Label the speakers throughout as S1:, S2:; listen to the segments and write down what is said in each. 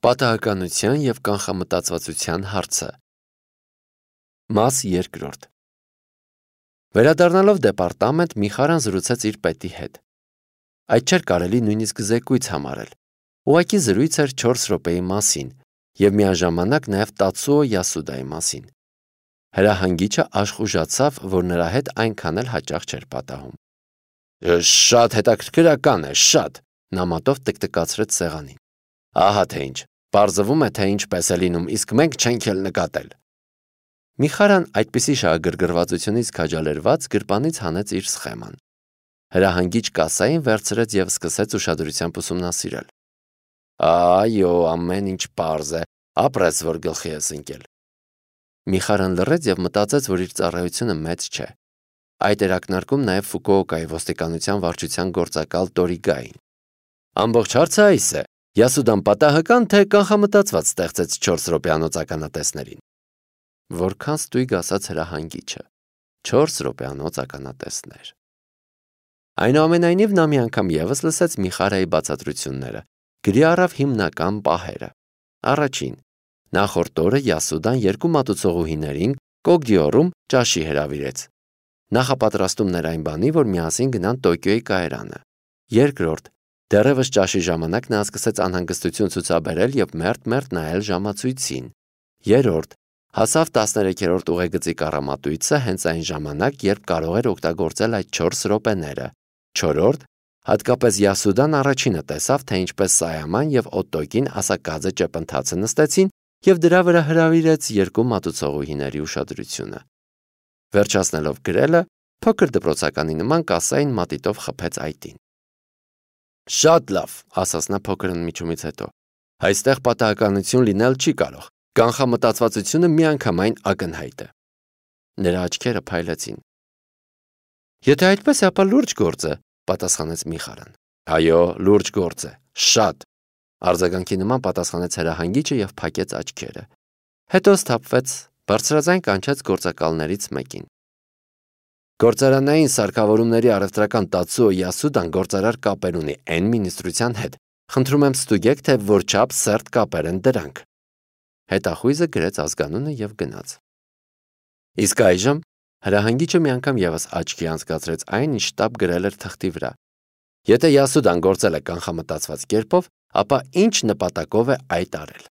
S1: Պատահականության և կանխամտածվածության հարցը։ Մաս 2. Վերադառնալով դեպարտամենտ, Միխարան զրուցեց իր պետի հետ։ Այդ չէր կարելի նույնիսկ զեկույց համարել։ Ուղղակի զրույց էր 4 րոպեի մասին և միաժամանակ նաև Տացուո Յասուդայի մասին։ Հրահանգիչը աշխուժացավ, որ նրա հետ այնքան էլ հաճախ չէր պատահում։ Շատ հետաքրքրական է, շատ, նա մատով տկտկացրեց սեղանին։ Ահա թե ինչ, պարզվում է, թե ինչպես է լինում, իսկ մենք չենք էլ նկատել։ Միխարան այդպիսի շահագրգռվածությունից քաջալերված գրպանից հանեց իր սխեման։ Հրահանգիչ կասային վերցրեց և սկսեց ուշադրությամբ ուսումնասիրել։ Այո, ամեն ինչ պարզ է, ապրես, որ գլխի ես ընկել։ Միխարան լռեց և մտածեց, որ իր ծառայությունը մեծ չէ։ Այդ էր ակնարկում նաև Ֆուկուոկայի ոստիկանության վարչության գործակալ Տորիգային։ Ամբողջ հարցը այս է. Յասուդան պատահական թե կանխամտածված ստեղծեց 4 րոպեանոց ականատեսներին։ Որքան ստույգ ասաց հրահանգիչը։ 4 րոպեանոց ականատեսներ։ Այնուամենայնիվ նա մի անգամ ևս լսեց Միխարայի բացատրությունները, գրի առավ հիմնական պահերը։ Առաջին. նախորդ օրը Յասուդան 2 մատուցողուհիներին Կոգդիորում ճաշի հրավիրեց։ Նախապատրաստումն էր այն բանի, որ միասին գնան Տոկիոյի կայարանը։ Երկրորդ. դեռևս ճաշի ժամանակ նա սկսեց անհանգստություն ցուցաբերել և մերթ-մերթ նայել ժամացույցին։ Երրորդ. հասավ 13-րդ ուղեգծի կառամատույցը հենց այն ժամանակ, երբ կարող էր օգտագործել այդ 4 րոպեները։ Չորրորդ. հատկապես Յասուդան առաջինը տեսավ, թե ինչպես Սայաման և Օտոկին ասակաձե ճեպընթացը նստեցին և դրա վրա հրավիրեց 2 մատուցողուհիների ուշադրությունը։ Վերջացնելով գրելը, փոքր դպրոցականի նման կասային մատիտով խփեց այտին։ Շատ լավ, ասաց նա փոքր ընդմիջումից հետո։ Այստեղ պատահականություն լինել չի կարող։ Կանխամտածվածությունը միանգամայն ակնհայտ է։ Նրա աչքերը փայլեցին։ Եթե այդպես է, ապա լուրջ գործ է, պատասխանեց Միխարան։ Այո, լուրջ գործ է, շատ, արձագանքի նման պատասխանեց հրահանգիչը և փակեց աչքերը։ Հետո սթափվեց, բարձրաձայն կանչեց գործակալներից մեկին։ Գործարանային սարքավորումների առևտրական Տացուո Յասուդան գործարար կապեր ունի N մինիստրության հետ։ Խնդրում եմ ստուգեք, թե որչափ սերտ կապեր են դրանք։ Հետախույզը գրեց ազգանունը և գնաց։ Իսկ այժմ հրահանգիչը մի անգամ ևս աչքի անցկացրեց այն, ինչ շտապ գրել էր թղթի վրա։ Եթե Յասուդան գործել է կանխամտածված կերպով, ապա ինչ նպատակով է այդ արել։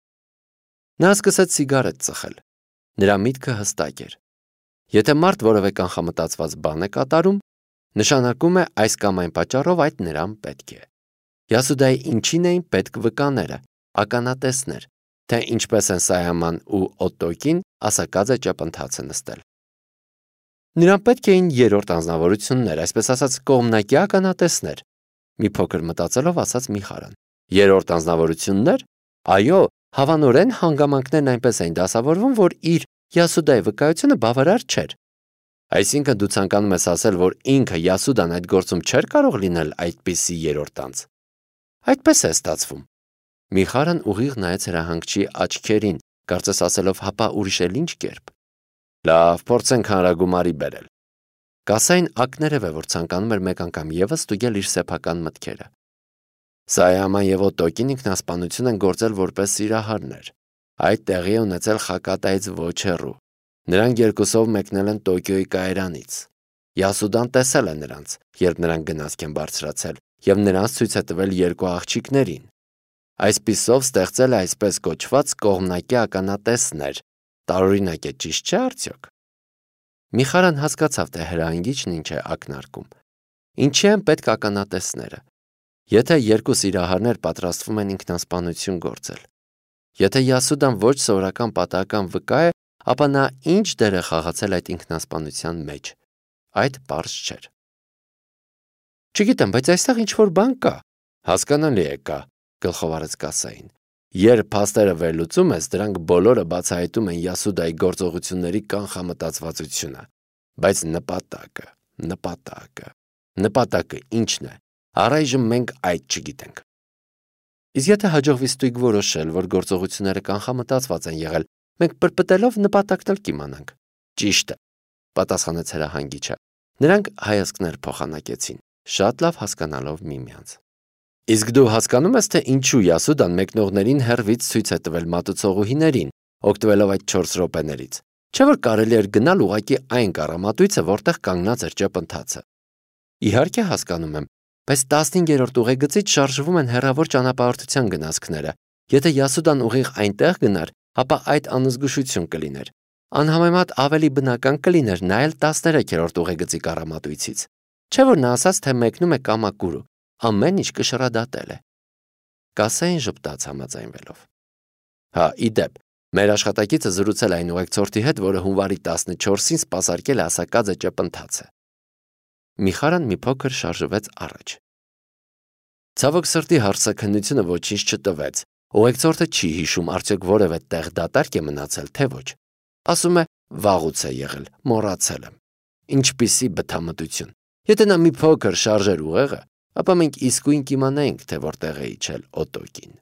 S1: Նա սկսեց սիգարետ ծխել։ Նրա միտքը հստակ էր։ Եթե մարդ որևէ կանխամտածված բան է կատարում, նշանակում է այս կամ այն պատճառով այդ նրան պետք է։ Յասուդայի ինչին էին պետք վկաները, ականատեսներ, թե ինչպես են Սայաման ու Օտոկին ասակաձե ճեպընթացը նստել։ Նրան պետք էին երրորդ անձնավորություններ, այսպես ասած կողմնակի ականատեսներ, մի փոքր մտածելով ասաց Միխարան։ Երրորդ անձնավորություններ։ Այո, հավանորեն հանգամանքներն այնպես էին դասավորվում, որ իր Յասուդայի վկայությունը բավարար չէր։ Այսինքն դու ցանկանում ես ասել, որ ինքը Յասուդան այդ գործում չէր կարող լինել այդպիսի երրորդ անձ։ Այդպես է ստացվում։ Միխարան ուղիղ նայեց հրահանգչի աչքերին, կարծես ասելով հապա ուրիշ էլ ինչ կերպ։ Լավ, փորձենք հանրագումարի բերել։ Կասային ակներև է, որ ցանկանում էր մեկ անգամ ևս ստուգել իր սեփական մտքերը։ Սայաման և Օտոկին ինքնասպանություն են գործել որպես սիրահարներ։ Այդ տեղի է ունեցել Խակատայից ոչ հեռու։ Նրանք երկուսով մեկնել են Տոկիոյի կայարանից։ Յասուդան տեսել է նրանց, երբ նրանք գնացք են բարձրացել, և նրանց ցույց է տվել 2 աղջիկներին։ Այսպիսով ստեղծել է այսպես կոչված կողմնակի ականատեսներ։ Տարօրինակ է, ճիշտ չէ՞ արդյոք։ Միխարան հասկացավ, թե հրահանգիչն ինչ է ակնարկում։ Ինչի են պետք ականատեսները։ Եթե 2 սիրահարներ պատրաստվում են ինքնասպանություն գործել։ Եթե Յասուդան ոչ սովորական պատահական վկա է, ապա նա ինչ դեր է խաղացել այդ ինքնասպանության մեջ։ Այդ պարզ չէր։ Չգիտեմ, բայց այստեղ ինչ-որ բան կա։ Հասկանալի է, կա, գլխով արեց կասային։ Երբ փաստերը վերլուծում ես, դրանք բոլորը բացահայտում են Յասուդայի գործողությունների կանխամտածվածությունը։ Բայց նպատակը ինչն է։ Առայժմ մենք այդ չգիտենք։ Իսկ եթե հաջողվի ստույգ որոշել, որ գործողությունները կանխամտածված են եղել, մենք պրպտելով նպատակն էլ կիմանանք։ Ճիշտ է, պատասխանեց հրահանգիչը։ Նրանք հայացքներ փոխանակեցին, շատ լավ հասկանալով միմյանց։ Իսկ դու հասկանում ես, թե ինչու Յասուդան մեկնողներին հեռվից ցույց է տվել մատուցողուհիներին, օգտվելով այդ 4 րոպեներից։ Չէ՞ որ կարելի էր գնալ ուղղակի այն կառամատույցը, որտեղ կանգնած էր ճեպընթացը։ Իհարկե հասկանում եմ, բայց 15-րդ ուղեգծից շարժվում են հեռավոր ճանապարհորդության գնացքները։ Եթե Յասուդան ուղիղ այնտեղ գնար, ապա այդ անզգուշություն կլիներ։ Անհամեմատ ավելի բնական կլիներ նայել 13-րդ ուղեգծի կառամատույցից։ Չէ՞ որ նա ասաց, թե մեկնում է կամակուրու, ամեն ինչ կշռադատել է։ Կասային ժպտաց համաձայնվելով։ Հա, ի դեպ, մեր աշխատակիցը զրուցել այն ուղեկցորդի հետ, որը հունվարի 14-ին սպասարկել է ասակաձը ճեպընթացը։ Միխարան մի փոքր շարժվեց առաջ։ Ցավոք սրտի հարցաքննությունը ոչինչ չտվեց։ Ուղեկցորդը չի հիշում արդյոք որևէ տեղ դատարկ է մնացել, թե ոչ։ Ասում է, վաղուց է եղել, մոռացել եմ։ Ինչպիսի բթամտություն։ Եթե նա մի փոքր շարժեր ուղեղը, ապա մենք իսկույն կիմանայինք, թե որտեղ է իջել օտոկին։